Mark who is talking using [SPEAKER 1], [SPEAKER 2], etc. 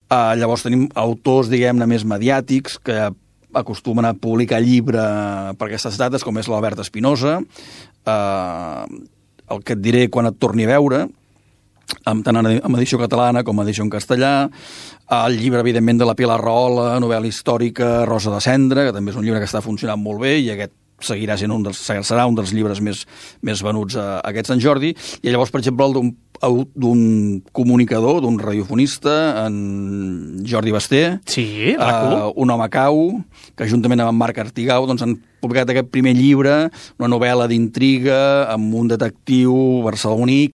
[SPEAKER 1] Llavors tenim autors, diguem-ne, més mediàtics que acostumen a publicar llibre per aquestes dates, com és l'Albert Espinosa, el que et diré quan et torni a veure, tant en edició catalana com en edició en castellà, el llibre, evidentment, de la Pilar Rahola, novel·la històrica, Rosa de Cendra, que també és un llibre que està funcionant molt bé, i aquest serà un dels llibres més venuts a aquest Sant Jordi. I llavors, per exemple, el d'un comunicador, d'un radiofonista, en Jordi Basté,
[SPEAKER 2] sí,
[SPEAKER 1] Un home cau, que juntament amb en Marc Artigau doncs, han publicat aquest primer llibre, una novel·la d'intriga amb un detectiu barceloní